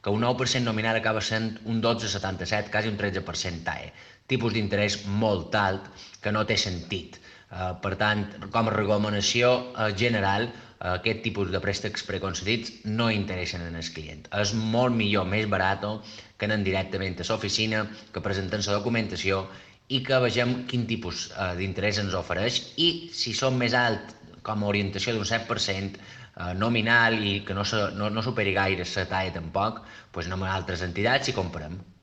que un 9% nominal acaba sent un 12,77, quasi un 13% TAE. Tipus d'interès molt alt que no té sentit. Per tant, com a recomanació general, aquest tipus de préstecs preconcedits no interessen en el client. És molt millor, més barat, que anar directament a l'oficina, que presenten la documentació i que vegem quin tipus d'interès ens ofereix i si són més alt com a orientació d'un 7% nominal i que no superi gaire la TAE tampoc, doncs anem a altres entitats i comprem.